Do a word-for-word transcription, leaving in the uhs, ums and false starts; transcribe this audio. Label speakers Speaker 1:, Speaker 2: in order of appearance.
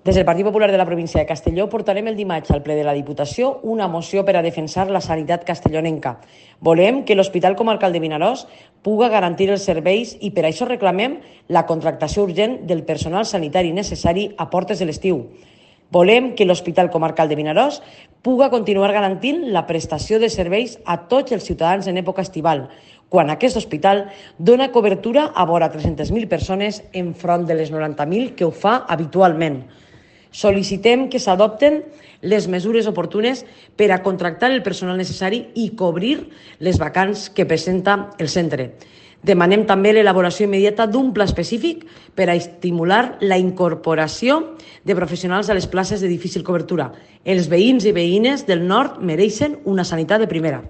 Speaker 1: Des del Partit Popular de la província de Castelló portarem el dimarts al ple de la Diputació una moció per a defensar la sanitat castellonenca. Volem que l'Hospital Comarcal de Vinaròs puga garantir els serveis i per això reclamem la contractació urgent del personal sanitari necessari a portes de l'estiu. Volem que l'Hospital Comarcal de Vinaròs puga continuar garantint la prestació de serveis a tots els ciutadans en època estival, quan aquest hospital dona cobertura a vora tres-centes mil persones enfront de les noranta mil que ho fa habitualment. Sol·licitem que s'adopten les mesures oportunes per a contractar el personal necessari i cobrir les vacants que presenta el centre. Demanem també l'elaboració immediata d'un pla específic per a estimular la incorporació de professionals a les places de difícil cobertura. Els veïns i veïnes del nord mereixen una sanitat de primera.